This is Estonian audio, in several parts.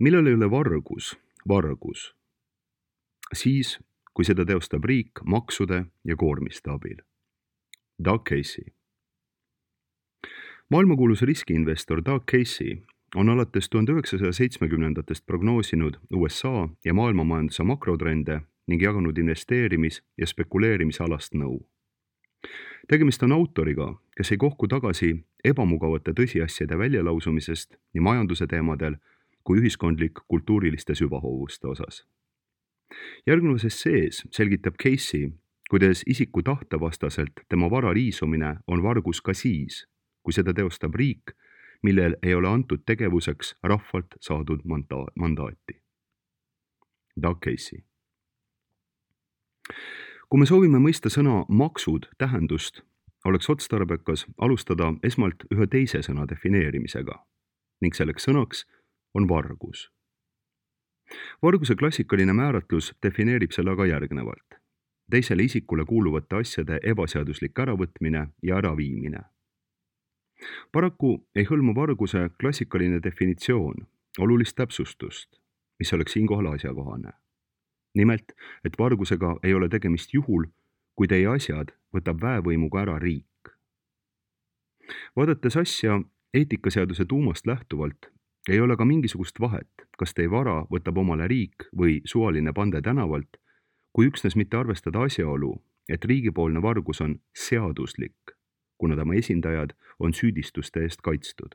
Millal ei ole vargus vargus? Siis, kui seda teostab riik maksude ja koormiste abil. Doug Casey. Maailmakuulus riskiinvestor Doug Casey on alates 1970-ndatest prognoosinud USA ja maailmamajanduse makrotrende ning jaganud investeerimis- ja spekuleerimisalast nõu. Tegemist on autoriga, kes ei kohku tagasi ebamugavate tõsiasjade väljalausumisest nii majanduse teemadel kui ühiskondlik-kultuuriliste süvahoovuste osas. Järgnevas essees selgitab Casey, kuidas isiku tahtevastaselt tema vara riisumine on vargus ka siis, kui seda teostab riik, millel ei ole antud tegevuseks rahvalt saadud mandaati. Doug Casey. Kui me soovime mõista sõna maksud tähendust, oleks otstarbekas alustada esmalt ühe teise sõna defineerimisega ning selleks sõnaks on vargus. Varguse klassikaline määratlus defineerib selle aga järgnevalt. Teisele isikule kuuluvate asjade ebaseaduslik äravõtmine ja äraviimine. Paraku ei hõlma varguse klassikaline definitsioon olulist täpsustust, mis oleks siinkohal asjakohane. Nimelt, et vargusega ei ole tegemist juhul, kui teie asjad võtab väevõimuga ära riik. Vaadates asja eetikaseaduse tuumast lähtuvalt, ei ole ka mingisugust vahet, kas teie vara võtab omale riik või suvaline pande tänavalt, kui üksnes mitte arvestada asjaolu, et riigipoolne vargus on seaduslik, kuna tema esindajad on süüdistuste eest kaitstud.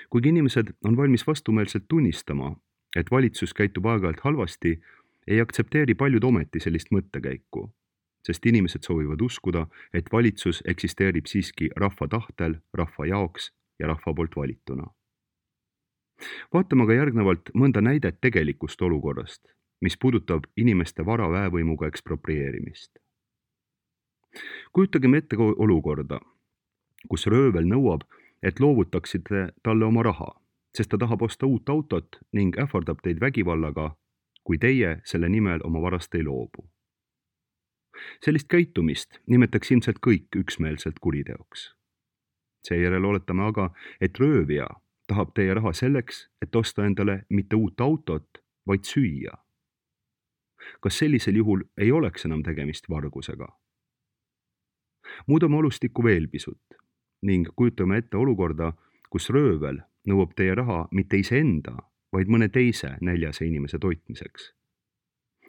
Kuigi inimesed on valmis vastumeelselt tunnistama, et valitsus käitub aeg-ajalt halvasti, ei aktsepteeri paljud ometi sellist mõttekäiku, sest inimesed soovivad uskuda, et valitsus eksisteerib siiski rahva tahtel, rahva jaoks ja rahva poolt valituna. Vaatame aga järgnevalt mõnda näidet tegelikust olukorrast, mis puudutab inimeste vara väevõimuga eksproprieerimist. Kujutagem ette olukorda, kus röövel nõuab, et loovutaksite talle oma raha, sest ta tahab osta uut autot ning ähvardab teid vägivallaga, kui teie selle nimel oma varast ei loobu. Sellist käitumist nimetaks ilmselt kõik üksmeelselt kuriteoks. Seejärel oletame aga, et röövija tahab teie raha selleks, et osta endale mitte uut autot, vaid süüa. Kas sellisel juhul ei oleks enam tegemist vargusega? Muudame olustikku veel pisut ning kujutame ette olukorda, kus röövel nõuab teie raha mitte iseenda, vaid mõne teise näljase inimese toitmiseks.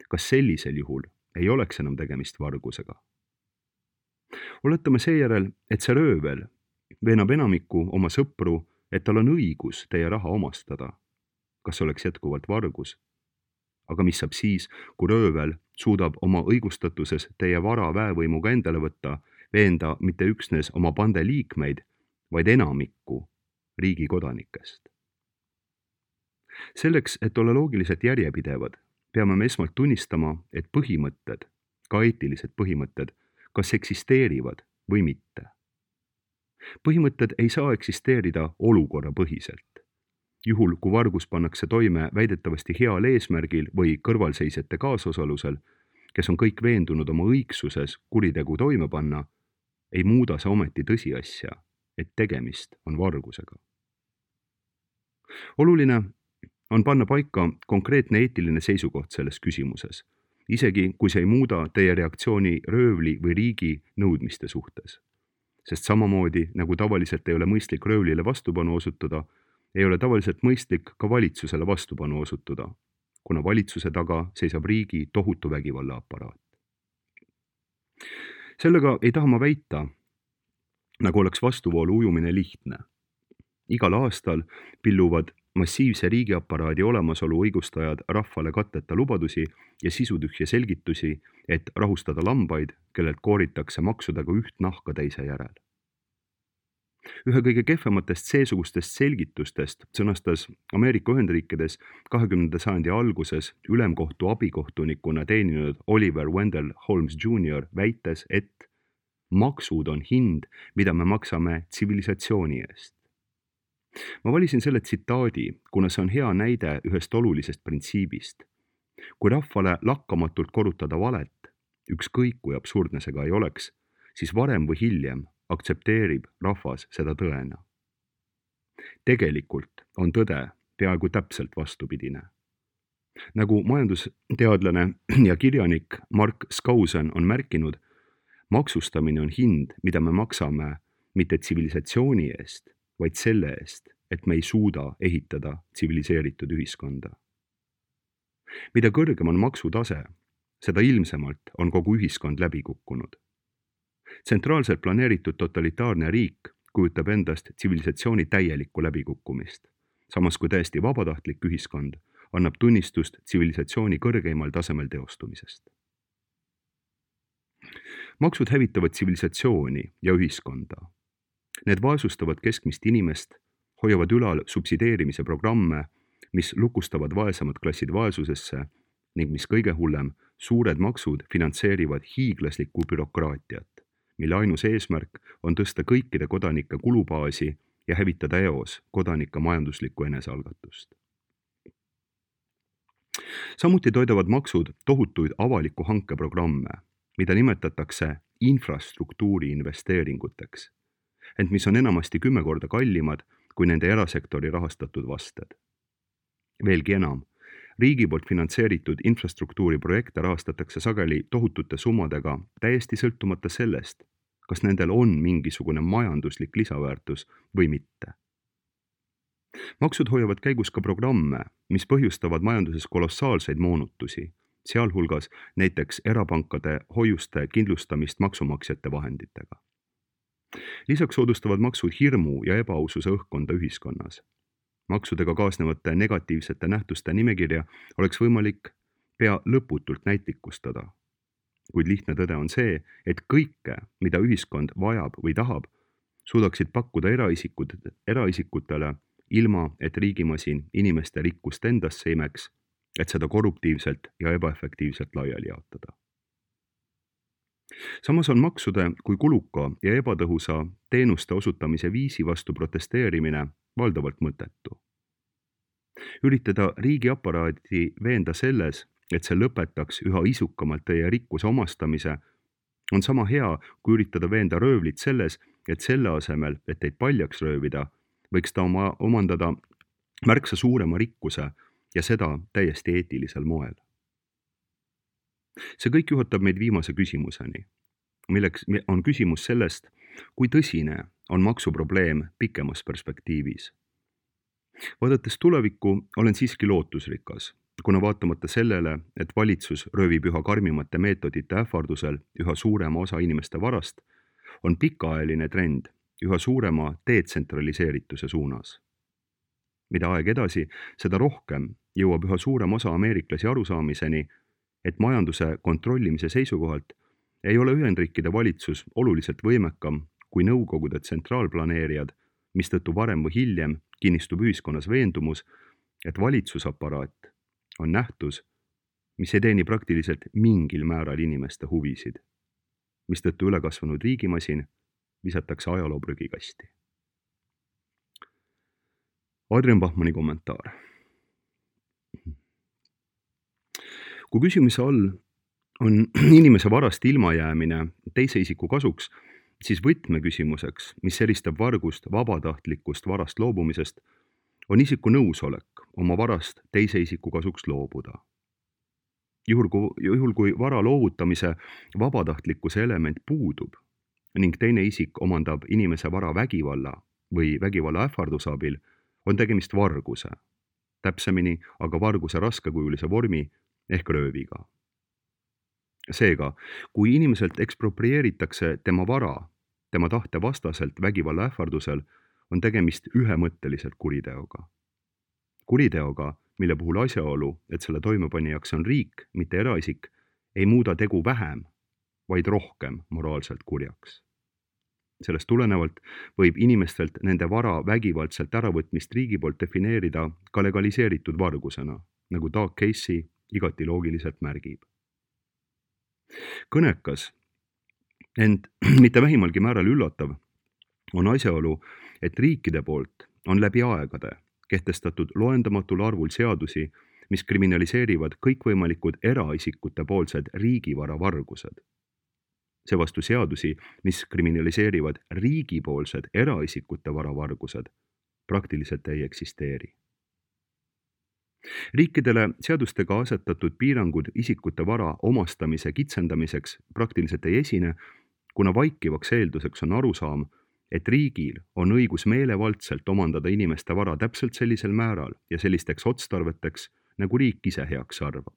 Kas sellisel juhul ei oleks enam tegemist vargusega? Oletame seejärel, et see röövel veenab enamikku oma sõpru, et tal on õigus teie raha omastada. Kas oleks jätkuvalt vargus? Aga mis saab siis, kui röövel suudab oma õigustatuses teie vara väevõimuga endale võtta, veenda mitte üksnes oma pande liikmeid, vaid enamikku riigi kodanikest? Selleks, et olla loogiliselt järjepidevad, peame me esmalt tunnistama, et põhimõtted, ka eetilised põhimõtted, kas eksisteerivad või mitte. Põhimõtted ei saa eksisteerida olukorrapõhiselt. Juhul, kui vargus pannakse toime väidetavasti heal eesmärgil või kõrvalseisjate kaasosalusel, kes on kõik veendunud oma õigsuses kuritegu toime panna, ei muuda see ometi tõsiasja, et tegemist on vargusega. Oluline on panna paika konkreetne eetiline seisukoht selles küsimuses, isegi kui see ei muuda teie reaktsiooni röövli või riigi nõudmiste suhtes. Sest samamoodi, nagu tavaliselt ei ole mõistlik röövlile vastupanu osutuda, ei ole tavaliselt mõistlik ka valitsusele vastupanu osutuda, kuna valitsuse taga seisab riigi tohutu vägivallaaparaat. Sellega ei taha ma väita, nagu oleks vastuvoolu ujumine lihtne. Igal aastal pilluvad massiivse riigiaparaadi olemasolu õigustajad rahvale katteta lubadusi ja sisutühje selgitusi, et rahustada lambaid, kellelt kooritakse maksudega üht nahka teise järel. Ühe kõige kehvematest seesugustest selgitustest sõnastas Ameerika Ühendriikides 20. sajandi alguses ülemkohtu abikohtunikuna teeninud Oliver Wendell Holmes Jr. väites, et maksud on hind, mida me maksame tsivilisatsiooni eest. Ma valisin selle tsitaadi, kuna see on hea näide ühest olulisest printsiibist. Kui rahvale lakkamatult korrutada valet, ükskõik kui absurdne see ka ei oleks, siis varem või hiljem aktsepteerib rahvas seda tõena. Tegelikult on tõde peaaegu täpselt vastupidine. Nagu majandusteadlane ja kirjanik Mark Skousen on märkinud, maksustamine on hind, mida me maksame mitte tsivilisatsiooni eest, vaid selle eest, et me ei suuda ehitada tsiviliseeritud ühiskonda. Mida kõrgem on maksutase, seda ilmsemalt on kogu ühiskond läbi kukkunud. Tsentraalselt planeeritud totalitaarne riik kujutab endast tsivilisatsiooni täielikku läbikukkumist, samas kui täiesti vabatahtlik ühiskond annab tunnistust tsivilisatsiooni kõrgeimal tasemel teostumisest. Maksud hävitavad tsivilisatsiooni ja ühiskonda. Need vaesustavad keskmist inimest, hoiavad ülal subsideerimise programme, mis lukustavad vaesemad klassid vaesusesse ning mis kõige hullem, suured maksud finantseerivad hiiglaslikku bürokraatiat, mille ainus eesmärk on tõsta kõikide kodanike kulubaasi ja hävitada eos kodanike majanduslikku enesealgatust. Samuti toidavad maksud tohutuid avaliku hankeprogramme, mida nimetatakse infrastruktuuri investeeringuteks, ent mis on enamasti 10 korda kallimad kui nende erasektori rahastatud vasted. Veelgi enam, riigi poolt finantseeritud infrastruktuuriprojekte rahastatakse sageli tohutute summadega täiesti sõltumata sellest, kas nendel on mingisugune majanduslik lisaväärtus või mitte. Maksud hoiavad käigus ka programme, mis põhjustavad majanduses kolossaalseid moonutusi, sealhulgas näiteks erapankade hoiuste kindlustamist maksumaksjate vahenditega. Lisaks soodustavad maksud hirmu ja ebaaususe õhkkonda ühiskonnas. Maksudega kaasnevate negatiivsete nähtuste nimekirja oleks võimalik pea lõputult näitlikustada. Kuid lihtne tõde on see, et kõike, mida ühiskond vajab või tahab, suudaksid pakkuda eraisikutele, ilma et riigimasin inimeste rikkust endasse imeks, et seda korruptiivselt ja ebaefektiivselt laiali jaotada. Samas on maksude kui kuluka ja ebatõhusa teenuste osutamise viisi vastu protesteerimine valdavalt mõttetu. Üritada riigiaparaadi veenda selles, et see lõpetaks üha isukamalt teie rikkuse omastamise, on sama hea, kui üritada veenda röövlit selles, et selle asemel, et teid paljaks röövida, võiks ta omandada märksa suurema rikkuse ja seda täiesti eetilisel moel. See kõik juhatab meid viimase küsimuseni, milleks on küsimus sellest, kui tõsine on maksuprobleem pikemas perspektiivis. Vaadates tulevikku olen siiski lootusrikas, kuna vaatamata sellele, et valitsus röövib üha karmimate meetodite ähvardusel üha suurema osa inimeste varast, on pikaajaline trend üha suurema detsentraliseerituse suunas. Mida aeg edasi, seda rohkem jõuab üha suurem osa ameeriklasi arusaamiseni, et majanduse kontrollimise seisukohalt ei ole Ühendriikide valitsus oluliselt võimekam kui Nõukogude tsentraalplaneerijad, mistõttu varem või hiljem kinnistub ühiskonnas veendumus, et valitsusaparaat on nähtus, mis ei teeni praktiliselt mingil määral inimeste huvisid, mistõttu ülekasvanud riigimasin visatakse ajaloo prügikasti. Adrian Bachmanni kommentaar. Kui küsimuse all on inimese varast ilmajäämine teise isiku kasuks, siis võtmeküsimuseks, mis eristab vargust vabatahtlikust varast loobumisest, on isiku nõusolek oma varast teise isiku kasuks loobuda. Juhul kui vara loovutamise vabatahtlikkuse element puudub ning teine isik omandab inimese vara vägivalla või vägivalla ähvarduse abil, on tegemist varguse, täpsemini aga varguse raskekujulise vormi ehk rööviga. Seega, kui inimeselt eksproprieeritakse tema vara, tema tahte vastaselt vägivalla ähvardusel, on tegemist ühemõtteliselt kuriteoga. Kuriteoga, mille puhul asjaolu, et selle toimepanijaks on riik, mitte eraisik, ei muuda tegu vähem, vaid rohkem moraalselt kurjaks. Sellest tulenevalt võib inimestelt nende vara vägivaldselt äravõtmist riigi poolt defineerida ka legaliseeritud vargusena, nagu Doug Casey igati loogiliselt märgib. Kõnekas, ent mitte vähimalgi määral üllatav, on asjaolu, et riikide poolt on läbi aegade kehtestatud loendamatul arvul seadusi, mis kriminaliseerivad kõikvõimalikud eraisikute poolsed riigivara vargused. Seevastu seadusi, mis kriminaliseerivad riigipoolsed eraisikute varavargused, praktiliselt ei eksisteeri. Riikidele seadustega asetatud piirangud isikute vara omastamise kitsendamiseks praktiliselt ei esine, kuna vaikivaks eelduseks on arusaam, et riigil on õigus meelevaldselt omandada inimeste vara täpselt sellisel määral ja sellisteks otstarveteks, nagu riik ise heaks arvab.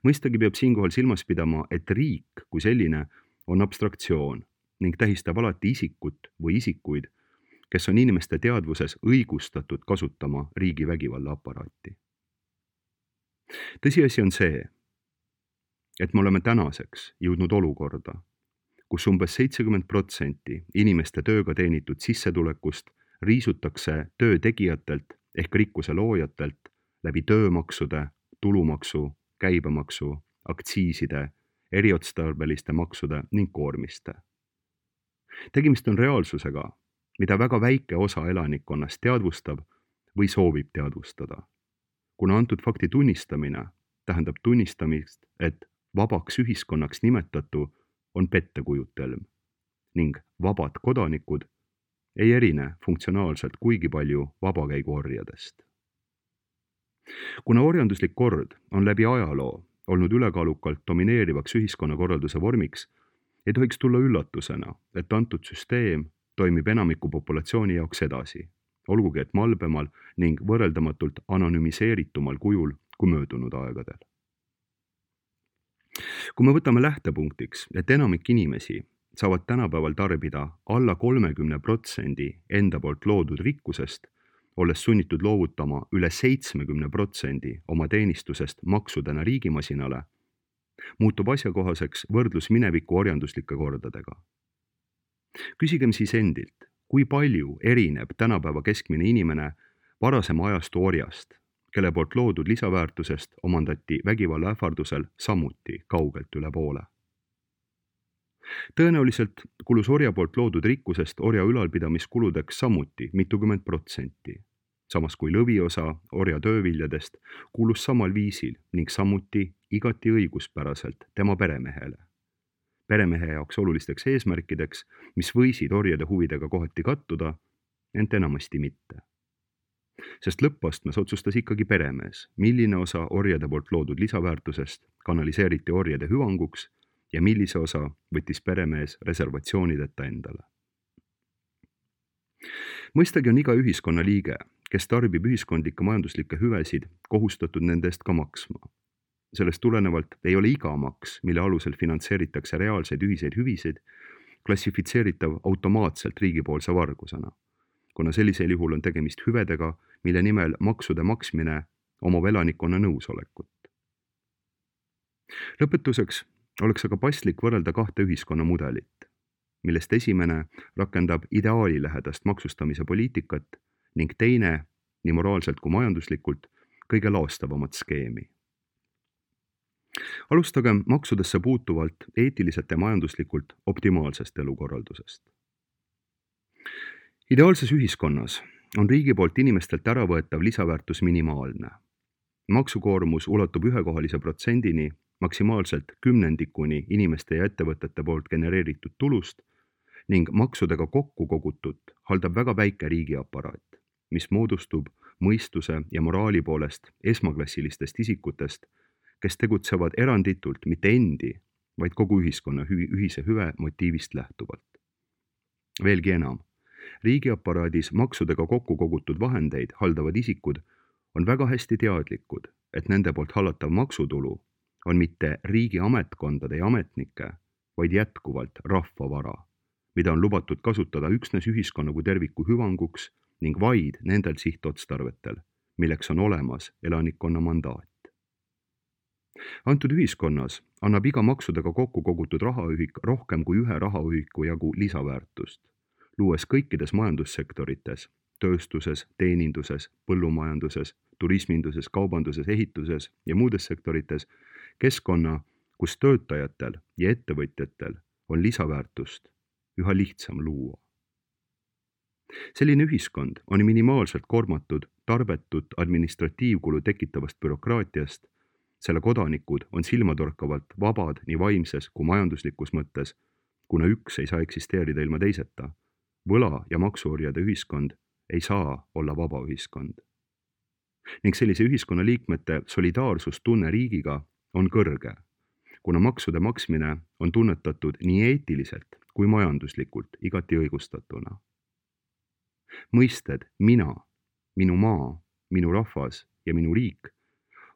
Mõistagi peab siinkohal silmas pidama, et riik kui selline on abstraktsioon ning tähistab alati isikut või isikuid, kes on inimeste teadvuses õigustatud kasutama riigi vägivallaaparaati. Tõsiasi on see, et me oleme tänaseks jõudnud olukorda, kus umbes 70% inimeste tööga teenitud sissetulekust riisutakse töö tegijatelt ehk rikkuse loojatelt läbi töömaksude, tulumaksu, käibemaksu, aktsiiside, eriotstarbeliste maksude ning koormiste. Tegemist on reaalsusega, mida väga väike osa elanikkonnast teadvustab või soovib teadvustada, kuna antud fakti tunnistamine tähendab tunnistamist, et vabaks ühiskonnaks nimetatu on pettekujutelm ning vabad kodanikud ei erine funktsionaalselt kuigi palju vabakäiguorjadest. Kuna orjanduslik kord on läbi ajaloo olnud ülekaalukalt domineerivaks ühiskonnakorralduse vormiks, ei tohiks tulla üllatusena, et antud süsteem toimib enamiku populatsiooni jaoks edasi, olgugi et malbemal ning võrreldamatult anonüümiseeritumal kujul kui möödunud aegadel. Kui me võtame lähtepunktiks, et enamik inimesi saavad tänapäeval tarbida alla 30% enda poolt loodud rikkusest, olles sunnitud loovutama üle 70% oma teenistusest maksudena riigimasinale, muutub asjakohaseks võrdlus mineviku orjanduslike kordadega. Küsigem siis endilt, kui palju erineb tänapäeva keskmine inimene varasema ajastu orjast, kelle poolt loodud lisaväärtusest omandati vägivalla ähvardusel samuti kaugelt üle poole. Tõenäoliselt kulus orja poolt loodud rikkusest orja ülalpidamiskuludeks samuti mitukümmend protsenti, samas kui lõviosa orja tööviljadest kulus samal viisil ning samuti igati õiguspäraselt tema peremehele. Peremehe jaoks olulisteks eesmärkideks, mis võisid orjade huvidega kohati kattuda, ent enamasti mitte. Sest lõppastmes otsustas ikkagi peremees, milline osa orjade poolt loodud lisaväärtusest kanaliseeriti orjade hüvanguks ja millise osa võttis peremees reservatsioonideta endale. Mõistagi on iga ühiskonna liige, kes tarbib ühiskondlikke majanduslikke hüvesid, kohustatud nende eest ka maksma. Sellest tulenevalt ei ole iga maks, mille alusel finantseeritakse reaalseid ühiseid hüvisid, klassifitseeritav automaatselt riigipoolse vargusena, kuna sellisel juhul on tegemist hüvedega, mille nimel maksude maksmine omab elanikkonna nõusolekut. Lõpetuseks oleks aga paslik võrrelda kahte ühiskonna mudelit, millest esimene rakendab ideaalilähedast maksustamise poliitikat ning teine, nii moraalselt kui majanduslikult, kõige laastavamat skeemi. Alustagem maksudesse puutuvalt eetiliselt ja majanduslikult optimaalsest elukorraldusest. Ideaalses ühiskonnas on riigi poolt inimestelt äravõetav lisaväärtus minimaalne. Maksukoormus ulatub ühekohalise protsendini, maksimaalselt 10% inimeste ja ettevõtete poolt genereeritud tulust ning maksudega kokku kogutut haldab väga väike riigiaparaat, mis moodustub mõistuse ja moraali poolest esmaklassilistest isikutest, kes tegutsevad eranditult mitte endi, vaid kogu ühiskonna ühise hüve motiivist lähtuvalt. Veelgi enam, riigiaparaadis maksudega kokku kogutud vahendeid haldavad isikud on väga hästi teadlikud, et nende poolt hallatav maksutulu on mitte riigi ametkondade ja ametnike, vaid jätkuvalt rahvavara, mida on lubatud kasutada üksnes ühiskonna kui terviku hüvanguks ning vaid nendel sihtotstarvetel, milleks on olemas elanikkonna mandaat. Antud ühiskonnas annab iga maksudega kokku kogutud rahaühik rohkem kui ühe rahaühiku jagu lisaväärtust, luues kõikides majandussektorites, tööstuses, teeninduses, põllumajanduses, turisminduses, kaubanduses, ehituses ja muudes sektorites keskkonna, kus töötajatel ja ettevõtjatel on lisaväärtust üha lihtsam luua. Selline ühiskond on minimaalselt koormatud tarbetut administratiivkulu tekitavast bürokraatiast, selle kodanikud on silmatorkavalt vabad nii vaimses kui majanduslikus mõttes, kuna üks ei saa eksisteerida ilma teiseta. Võla- ja maksuorjade ühiskond ei saa olla vaba ühiskond. ning sellise ühiskonna liikmete solidaarsustunne riigiga on kõrge, kuna maksude maksmine on tunnetatud nii eetiliselt kui majanduslikult igati õigustatuna. Mõisted mina, minu maa, minu rahvas ja minu riik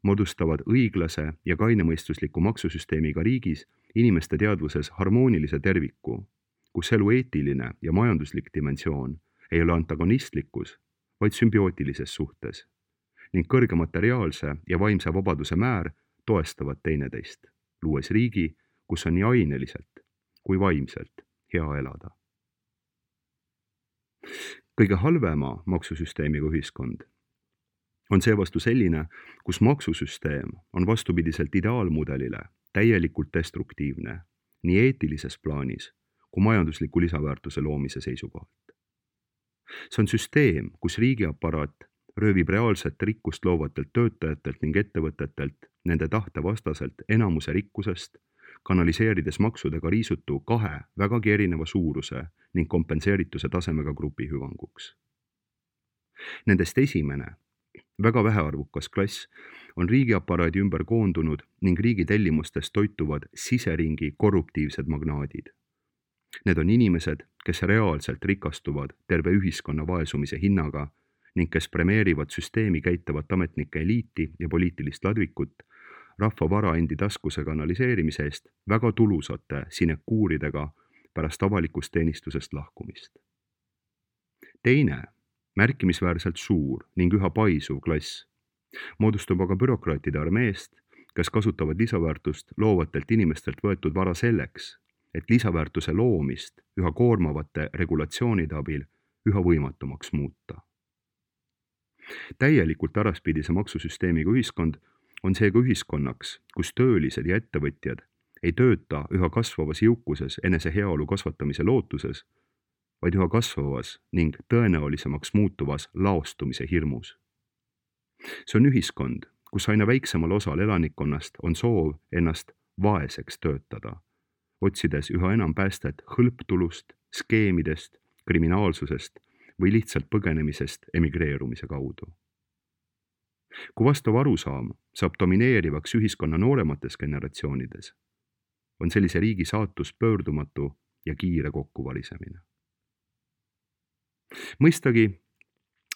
moodustavad õiglase ja kainemõistusliku maksusüsteemiga riigis inimeste teadvuses harmoonilise terviku, kus elu eetiline ja majanduslik dimensioon ei ole antagonistlikus, vaid sümbiootilises suhtes ning kõrge materiaalse ja vaimse vabaduse määr toestavad teineteist, luues riigi, kus on nii aineliselt kui vaimselt hea elada. Kõige halvema maksusüsteemiga ühiskond on seevastu selline, kus maksusüsteem on vastupidiselt ideaalmudelile täielikult destruktiivne nii eetilises plaanis kui majandusliku lisaväärtuse loomise seisukohalt. See on süsteem, kus riigiaparaat röövib reaalset rikkust loovatelt töötajatelt ning ettevõtetelt nende tahte vastaselt enamuse rikkusest, kanaliseerides maksudega riisutu kahe vägagi erineva suuruse ning kompenseerituse tasemega grupi hüvanguks. Nendest esimene, väga vähearvukas klass on riigiaparaadi ümber koondunud ning riigi tellimustest toituvad siseringi korruptiivsed magnaadid. Need on inimesed, kes reaalselt rikastuvad terve ühiskonna vaesumise hinnaga ning kes premeerivad süsteemi käitavat ametnike eliiti ja poliitilist ladvikut rahva vara endi taskuse kanaliseerimise eest väga tulusate sinekuuridega pärast avalikust teenistusest lahkumist. Teine, märkimisväärselt suur ning üha paisuv klass moodustub aga bürokraatide armeest, kes kasutavad lisaväärtust loovatelt inimestelt võetud vara selleks, et lisaväärtuse loomist üha koormavate regulatsioonide abil üha võimatumaks muuta. Täielikult äraspidise maksusüsteemiga ühiskond on seega ühiskonnaks, kus töölised ja ettevõtjad ei tööta üha kasvavas jõukuses enese heaolu kasvatamise lootuses, vaid üha kasvavas ning tõenäolisemaks muutuvas laostumise hirmus. See on ühiskond, kus aina väiksemal osal elanikkonnast on soov ennast vaeseks töötada, otsides üha enam päästet hõlptulust, skeemidest, kriminaalsusest või lihtsalt põgenemisest emigreerumise kaudu. Kui vastav arusaam saab domineerivaks ühiskonna nooremates generatsioonides, on sellise riigi saatus pöördumatu ja kiire kokkuvalisemine. Mõistagi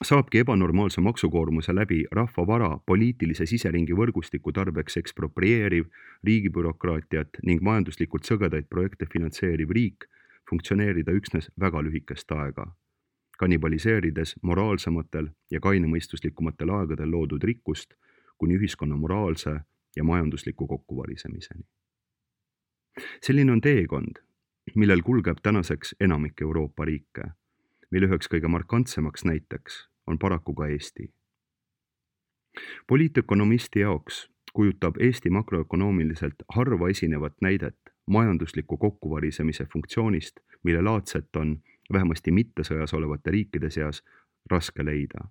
saabki ebanormaalse maksukoormuse läbi rahva vara poliitilise siseringi võrgustiku tarbeks eksproprieeriv, riigibürokraatiat ning majanduslikult sõgedaid projekte finantseeriv riik funktsioneerida üksnes väga lühikest aega, kannibaliseerides moraalsematel ja kainemõistuslikumatel aegadel loodud rikkust kuni ühiskonna moraalse ja majandusliku kokkuvalisemiseni. Selline on teekond, millel kulgeb tänaseks enamik Euroopa riike, mille üheks kõige markantsemaks näiteks on paraku ka Eesti. Poliitökonomisti jaoks kujutab Eesti makroökonoomiliselt harva esinevat näidet majandusliku kokkuvarisemise funktsioonist, mille laadset on vähemasti mittesõjas olevate riikide seas raske leida.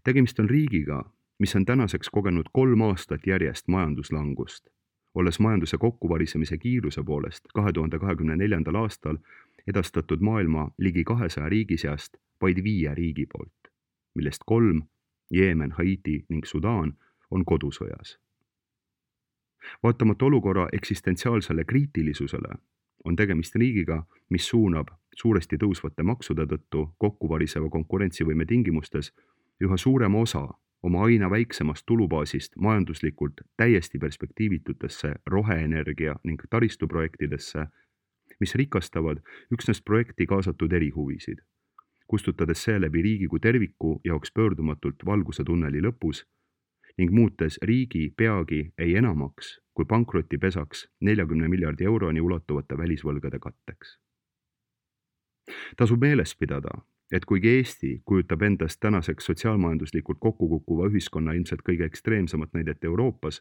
Tegemist on riigiga, mis on tänaseks kogenud 3 aastat järjest majanduslangust, olles majanduse kokkuvarisemise kiiruse poolest 2024. aastal edastatud maailma ligi 200 riigi seast vaid 5 riigi poolt, millest 3, Jeemen, Haiti ning Sudaan, on kodusõjas. Vaatamata olukorra eksistentsiaalsele kriitilisusele on tegemist riigiga, mis suunab suuresti tõusvate maksude tõttu kokkuvariseva konkurentsivõime tingimustes üha suurema osa oma aina väiksemast tulubaasist majanduslikult täiesti perspektiivitutesse roheenergia ning taristuprojektidesse, mis rikastavad üksnes projekti kaasatud erihuvisid, kustutades seeläbi riigi kui terviku jaoks pöördumatult valguse tunneli lõpus ning muutes riigi peagi ei enamaks kui pankrotipesaks 40 miljardi euroni ulatuvate välisvõlgade katteks. Tasub meeles pidada, et kuigi Eesti kujutab endast tänaseks sotsiaalmajanduslikult kokkukukkuva ühiskonna ilmselt kõige ekstreemsemat näidet Euroopas,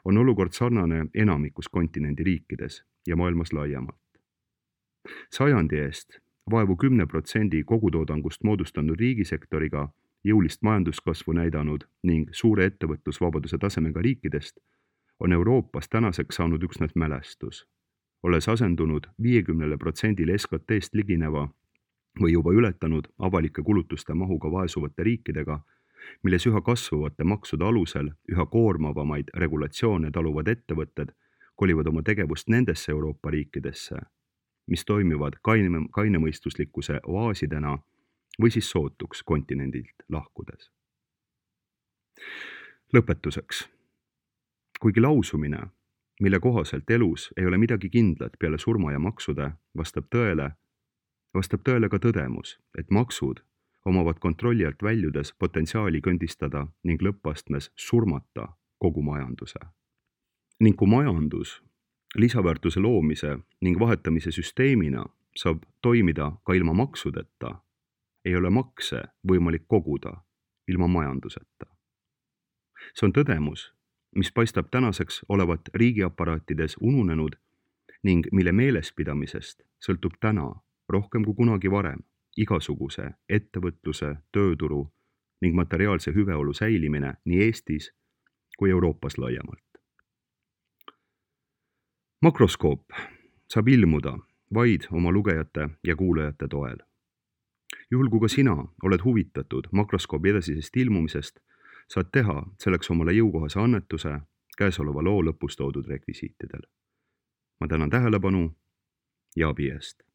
on olukord sarnane enamikus kontinendi riikides ja maailmas laiemalt. Sajandi eest vaevu 10% kogutoodangust moodustanud riigisektoriga jõulist majanduskasvu näidanud ning suure ettevõtlusvabaduse tasemega riikidest on Euroopas tänaseks saanud üksnes mälestus, olles asendunud 50% SKT-st ligineva või juba ületanud avalike kulutuste mahuga vaesuvate riikidega, milles üha kasvavate maksude alusel üha koormavamaid regulatsioone taluvad ettevõtted kolivad oma tegevust nendesse Euroopa riikidesse, mis toimivad kainemõistuslikkuse oaasidena või siis sootuks kontinendilt lahkudes. Lõpetuseks. Kuigi lausumine, mille kohaselt elus ei ole midagi kindlat peale surma ja maksude, vastab tõele ka tõdemus, et maksud omavad kontrolli alt väljudes potentsiaali kõndistada ning lõppastmes surmata kogu majanduse. Ning kui majandus lisaväärtuse loomise ning vahetamise süsteemina saab toimida ka ilma maksudeta, ei ole makse võimalik koguda ilma majanduseta. See on tõdemus, mis paistab tänaseks olevat riigiaparaatides ununenud ning mille meelespidamisest sõltub täna rohkem kui kunagi varem igasuguse ettevõtluse, tööturu ning materiaalse hüveolu säilimine nii Eestis kui Euroopas laiemalt. Makroskoop saab ilmuda vaid oma lugejate ja kuulajate toel. Juhul kui ka sina oled huvitatud makroskoobi edasisest ilmumisest, saad teha selleks omale jõukohase annetuse käesoleva loo lõpus toodud rekvisiitidel. Ma tänan tähelepanu ja abi eest.